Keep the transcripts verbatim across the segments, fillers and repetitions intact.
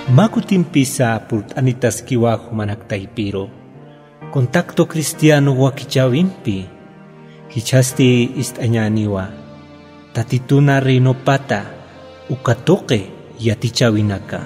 Mä kutimpisa purt'anitaskiwa jumanak taypiru contacto cristiano wakichäwimpi. Jichhasti ist'añäniwa Tatituna reinopata uka tuqi yatichäwinaka.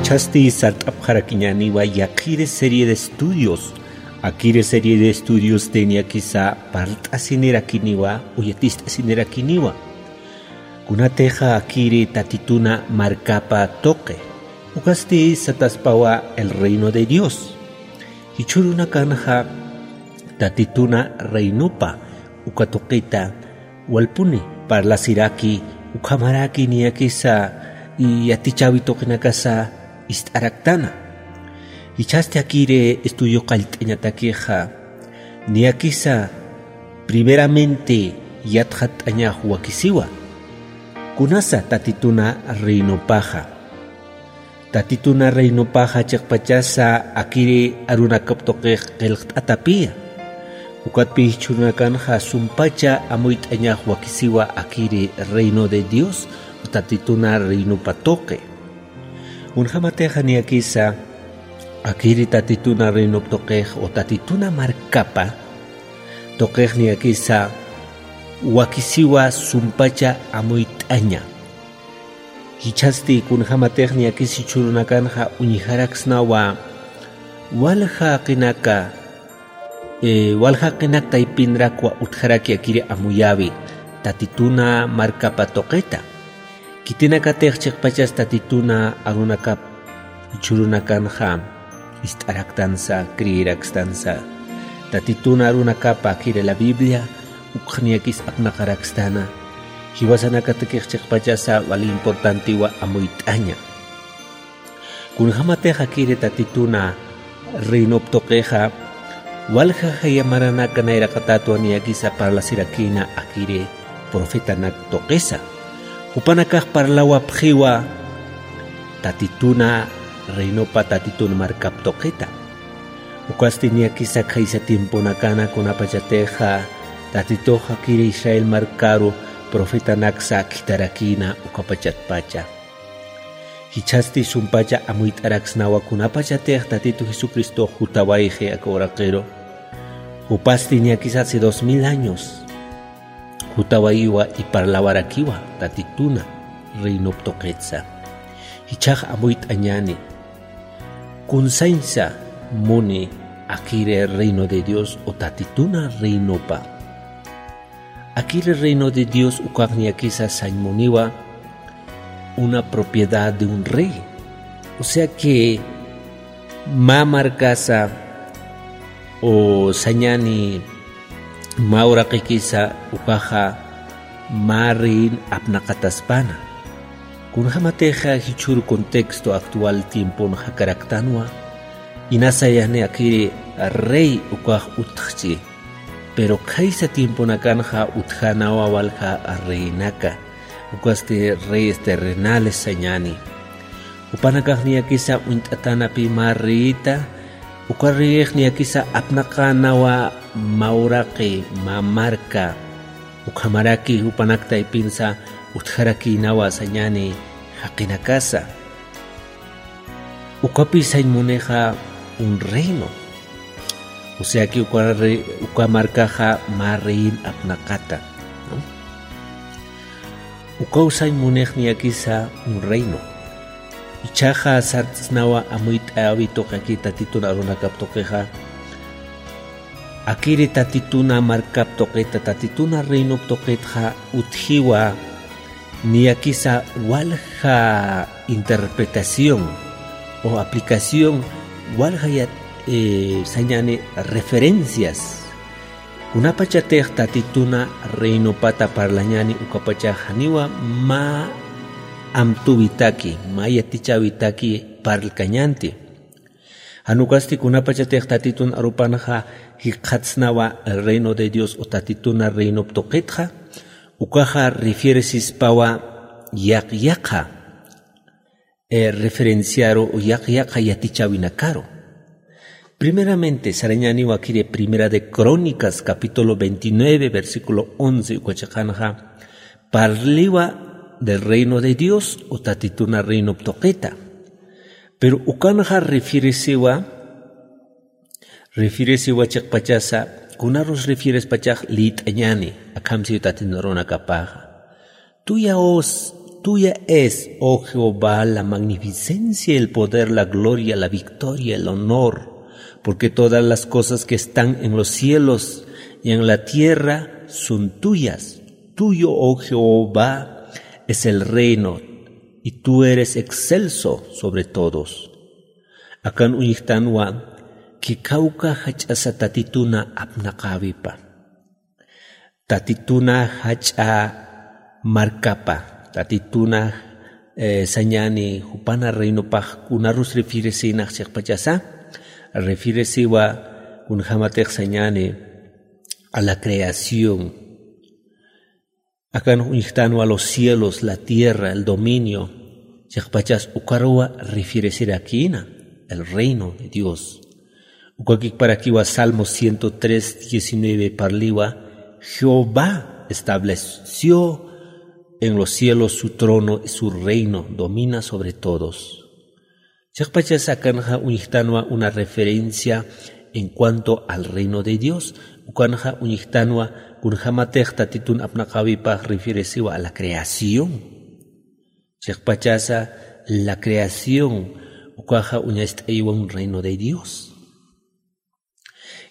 Jichhasti sart'apxarakiñäniwa yaqhiri serie de estudios, akiri serie de estudios niyakisa parlt'asinirakiniwa, yatist'asinirakiniwa. Kunatixa akiri Tatituna markapa tuqi. Ukasti sataspawa el reino de Dios. Jichhürunakanxa Tatituna reinopa uka tuqita walpuni parlasiraki, ukhamaraki niyakisa yatichäwi tuqinakasa ist'araktana. Jichhasti akiri estudio qallt'añatakixa niyakisa primeramente yatxatt'añax wakisiwa. Kunasa Tatituna reinopaxa. Tatituna reinopaxa chiqpachasa akiri arunakap tuqix qillqt'atapiya. Ukatpï jichhürunakanxa sumpacha amuyt'añax wakisiwa akiri reino de Dios o Tatituna reinopa tuqi. Kunjamatixa niyakisa akiri Tatituna reinop tuqix o Tatituna markapa tuqix niyakisa wakisiwa sumpacha amuyt'aña. Jichhasti kunjamatix niyakis jichhürunakanxa uñjaraksnawa walja jaqinaka, eh, walja jaqinak taypinrakwa utjaraki akiri amuyäwi Tatituna markapa tuqita. Khitinakatix chiqpachas Tatituna arunakap jichhürunakanxa ist'araktansa, creerakstansa. Tatituna arunakapa akiri la Biblia ukx niyakis apnaqarakstana. Jiwasanakatakix chiqpachasa wali importantiwa amuyt'aña. Kunjamatix akiri Tatituna reinop tuqixa walja jaya maranaka nayraqatatwa niyakisa parlasirakïna akiri profetanak tuqisa. Jupanakax parlawapxiwa Tatituna reinopa Tatituna markap tuqita. Ukasti niyakisa khaysa tiemponakana kunapachatixa Tatitux akiri Israel markaru profetanaksa khitharakïna ukapachatpacha. Jichhasti sumpacha amuyt'araksnawa kunapachatix Tatitu Jesucristox jutawayxi aka uraqiru. Jupasti niyakisa hace dos mil años jutawayiwa y parlawarakiwa Tatituna reinop tuqitsa. Jichhax amuyt'añäni. Kunsañsa muni akiri reino de Dios o Tatituna reinopa. Akiri reino de Dios ukax niyakisa sañ muniwa una propiedad de un rey. O sea que mä markasa o sañäni mä uraqikisa ukaxa mä reyin apnaqataspana. Kunjamatixa jichhür contexto actual tiempon jakaraktanwa, inasayani akiri rey ukax utjchi. Pero khaysa tiemponakanxa utjänawa walja reinaka, ukasti reyes terrenales sañäni. Jupanakax niyakisa uñt'atäna pï mä reyita, uka reyix niyakisa apnaqänawa mä uraqi, mä marka, ukhamaraki jupanak taypinsa utjarakïnawa sañäni jaqinakasa. Ukapï sañ munixa un reino. O sea que uka re-, uka markaxa mä reyin apnaqata, ¿no? Ukaw sañ munix niyakisa un reino. Jichhaxa sarts'isnawa amuyt'äwi tuqi akiri Tatitun arunakap tuqixa. Akiri Tatituna markap tuqita, Tatituna reinop tuqitxa utjiwa niyakisa walja interpretación o aplicación, walja yat-, eh, sañäni referencias. Kunapachatix Tatituna reinopata parlañäni ukapachax janiwa mä amtuwitaki, mä yatichäwitaki parlkañänti. Jan ukasti kunapachatix Tatitun arupanxa jikxatsnawa el reino de Dios o Tatituna reinop tuqitxa, ukaxa refieresispawa yaq yaqa, eh, referenciaru o yaq yaqa yatichäwinakaru. Primeramente, sarañäniwa akiri Primera de Crónicas, capítulo veintinueve, versículo once, uka chiqanxa, parliwa del reino de Dios o Tatituna reinop tuqita. Pero ukanxa refieresiwa, refieresiwa chiqpachasa, kunarus refierespachax liyt'añäni, akham siyu Tatitun arunakapaxa. Tuya os, tuya es, oh Jehová, la magnificencia, el poder, la gloria, la victoria, el honor, porque todas las cosas que están en los cielos y en la tierra son tuyas. Tuyo, oh Jehová, es el reino, y tú eres excelso sobre todos. Akan uñjtanwa, kawkha jach'asa Tatituna apnaqäwipa. Tatituna jach'a markapa, Tatituna, eh, sañäni jupana reinopax kunarus refieresïnax chiqpachasa, refieresiwa kunjamatix sañäni a la creación. Akan uñjtanwa los cielos, la tierra, el dominio, chiqpachas ukaruwa refieresirakïna, el reino de Dios. Ukakikparakiwa Salmo ciento tres, diecinueve parliwa, Jehová estableció en los cielos su trono y su reino domina sobre todos. Chiqpachas akanxa uñjtanwa una referencia en cuanto al reino de Dios. Ukanxa uñjtanwa kunjamatix Tatitun apnaqäwipax refieresiwa a la creación. Chiqpachasa la creación, ukaxa uñacht'ayiwa un reino de Dios.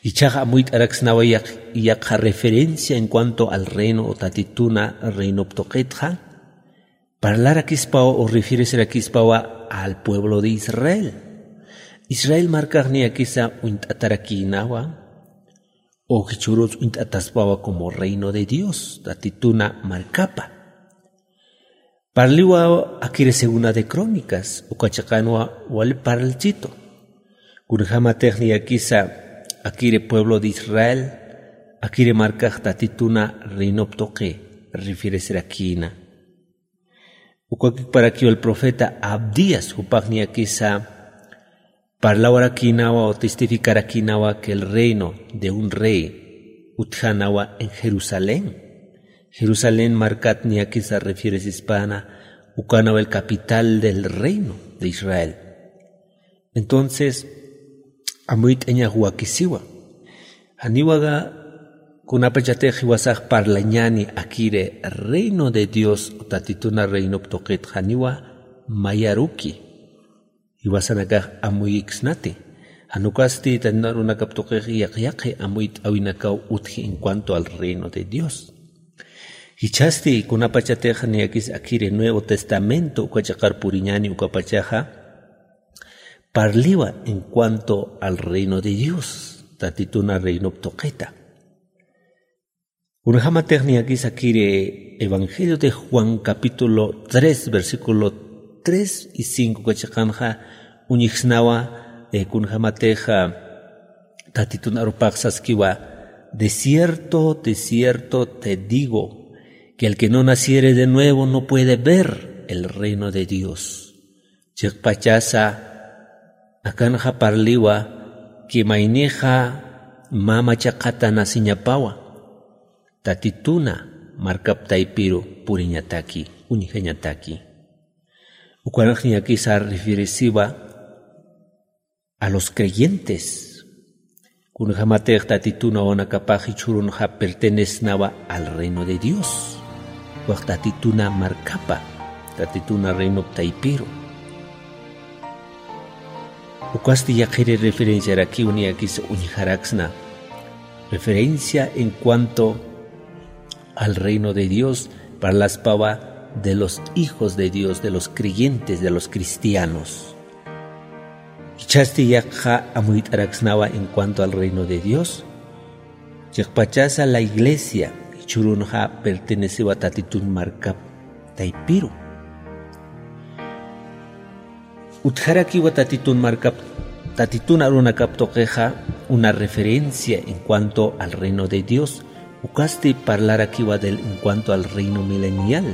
Ichhax amuyt'araksnawa yaq-, yaqha referencia en cuanto al reino o Tatituna reinop tuqitxa, parlarakispawa o refieresirakispawa al pueblo de Israel. Israel markax niyakisa uñt'atarakïnawa, o jichhürus uñt'ataspawa como reino de Dios, Tatituna markapa. Parliwa akiri Segunda de Crónicas, uka chiqanwa wali parlchitu. Kunjamatix niyakisa akiri pueblo de Israel, akiri markax Tatituna reinop tuqi refieresirakïna. Ukakiparakiwa el profeta Abdías, jupax niyakisa parlawarakïnawa o testificarakïnawa que el reino de un rey utjanawa en Jerusalén. Jerusalén markat niyakisa refieresispana, ukanawa el capital del reino de Israel. Entonces, amuyt'añax wakisiwa. Janiwaga kunapachatix jiwasax parlañäni akiri reino de Dios, Tatituna reinop tuqit janiwa mayaruki. Jiwasanakax amuyiksnati. Jan ukasti Tatitun arunakap tuqix yaqi yaqi amuyt'äwinakaw utji en cuanto al reino de Dios. Jichhasti kunapachatix niyakis akiri Nuevo Testamento uka chiqar puriñäni ukapachaxa, parliwa en cuanto al reino de Dios, Tatituna reinop tuqita. Kunjamatix niyakisa akiri Evangelio de Juan capítulo tres, versículo tres y cinco uka chiqanxa uñjsnawa, eh, kunjamatix, ah, Tatitun arupax saskiwa, de cierto, de cierto te digo, que el que no naciere de nuevo no puede ver el reino de Dios. Chiqpachasa, akanxa parliwa, que maynixa mä machaqata naciñapawa, Tatituna markap taypiru puriñataki, uñjañataki. Ukanx niyakisa refieresiwa a los creyentes. Kunjamatix Tatitun wawanakapax jichhürunxa pertenecenwa al reino de Dios. Ukax Tatituna markapa, Tatituna reinop taypiru. Ukasti yaqhiri referenciarakiw niyakisa uñjaraksna. Referencia en cuanto al reino de Dios, parlaspawa de los hijos de Dios, de los creyentes, de los cristianos. Jichhasti yaqha amuyt'araksnawa en cuanto al reino de Dios. Chiqpachasa la iglesia, jichhürunxa pertenecewa Tatitun markap taypiru. Utjarakiwa Tatitun markap Tatitun arunakap tuqixa una referencia en cuanto al reino de Dios. Ukasti parlarakiwa del en cuanto al reino milenial.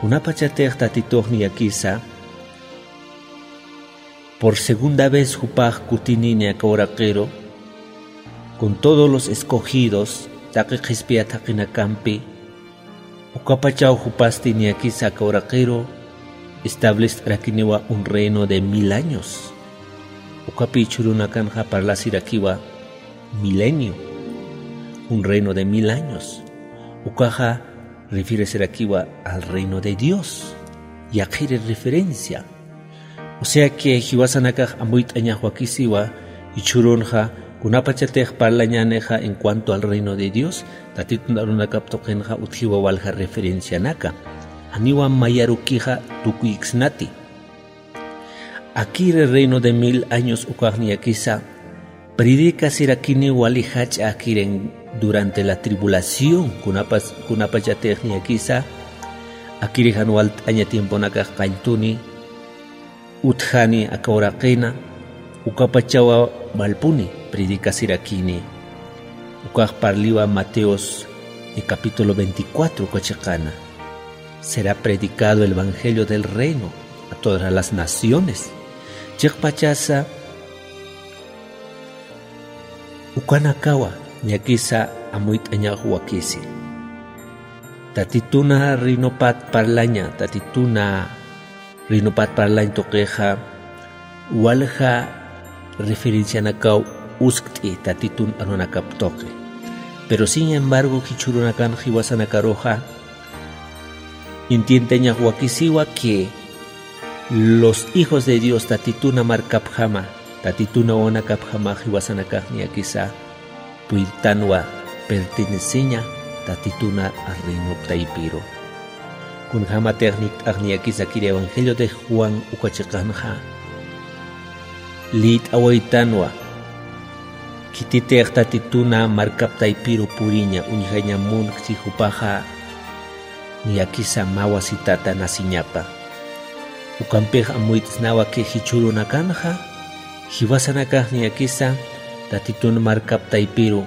Kunapachatix Tatitux niyakisa por segunda vez jupax kutinini aka uraqiru, con todos los escogidos, taqi qhispiya thaqinakampi, ukapachaw jupasti niyakisa aka uraqiru establest'arakiniwa un reino de mil años. Ukapi jichhürunakanxa parlasirakiwa milenio, un reino de mil años. Ukaxa refieresirakiwa al reino de Dios. Yaqhiri referencia. O sea que jiwasanakax amuyt'añax wakisiwa, jichhürunxa kunapachatix parlañänixa en cuanto al reino de Dios, Tatitun arunakap tuqinxa utjiwa walja referencianaka. Janiwa mayarukixa tukuyiksnati. Akiri reino de mil años ukax niyakisa, predicasirakini wali jach'a akirin durante la tribulación, kunapas-, kunapachatix niyakisa, akiri jan walt'aña tiemponakax qalltuni, utjani aka uraqina, ukapachawa walpuni predicasirakini. Ukax parliwa Mateos, eh, capítulo veinticuatro, uka chiqana. Será predicado el evangelio del reino a todas las naciones. Chiqpachasa, ukanakawa, niyakisa amuyt'añax wakisi. Tatituna reinopat parlaña, Tatituna reinopat parlañ tuqixa, walja referencianakaw uskt'i Tatitun arunakap tuqi. Pero sin embargo, jichhürunakan jiwasanakaruxa, entiendeñax wakisiwa que los hijos de Dios Tatituna markapjama, Tatituna wawanakapjama jiwasanakax niyakisa puyrtanwa perteneceña Tatituna reinop taypiru. Kunjamatix nikt'ax niyakisa kiri evangelio de Juan uka chiqanxa liyt'awaytanwa, khititix Tatituna markap taypiru puriña, uñjaña munkchi jupaxa niyakisa mä wasitata naciñapa. Ukampix amuyt'snawa que jichhürunakanxa, jiwasanakax niyakisa Tatitun markap taypiru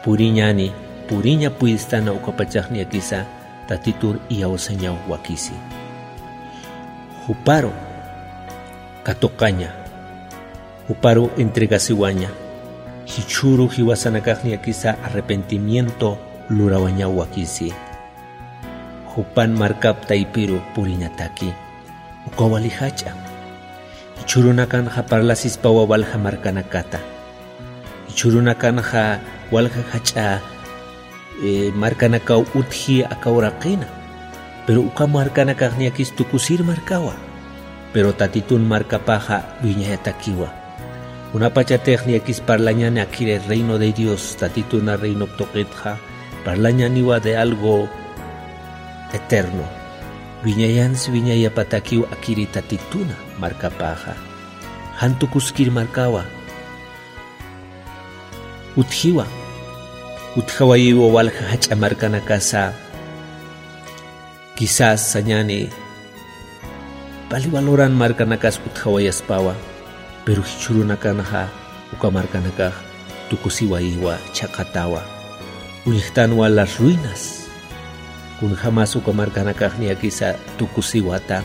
puriñani, puriña puyt'stana ukapachax niyakisa Tatitur iyawsañaw wakisi. Juparu katuqaña, juparu entregasiwaña, jichhüru jiwasanakax niyakisa arrepentimiento lurawañaw wakisi. Jupan markap taypiru puriñataki. Uka wali jach'a. Jichhürunakanxa parlasispawa walja markanakata. Jichhürunakanxa walja jach'a, eh, markanakaw utji aka uraqina. Pero uka markanakax niyakis tukusir markawa. Pero Tatitun markapaxa wiñayatakiwa. Kunapachatix niyakis parlañani akiri reino de Dios, Tatituna reinop tuqitxa, parlañaniwa de algo eterno. Wiñayansi wiñayapatakiw akiri Tatituna markapaxa. Jan tukuskir markawa. Utjiwa. Utjawayiwa walja jach'a markanakasa. Quizás sañani, pali valoran markanakas utjawayaspawa, pero jichhürunakanxa uka markanakax tukusiwayiwa, chhaqatawa. Uñjtanwa las ruinas. Kunjamas uka markanakax niyakisa tukusiwata.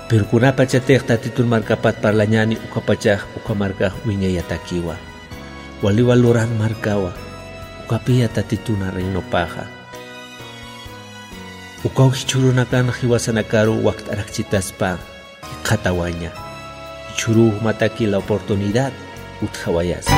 Pero kunapachatix Tatitun markapat parlañani ukapachax uka markax wiñayatakiwa. Waliwa luran markawa, ukapiya Tatituna reinopaxa. Ukaw jichhürunakan jiwasanakaru wakt'arakchitaspa jikxatawaña. Jichhüruw jumataki la oportunidad utjawayasa.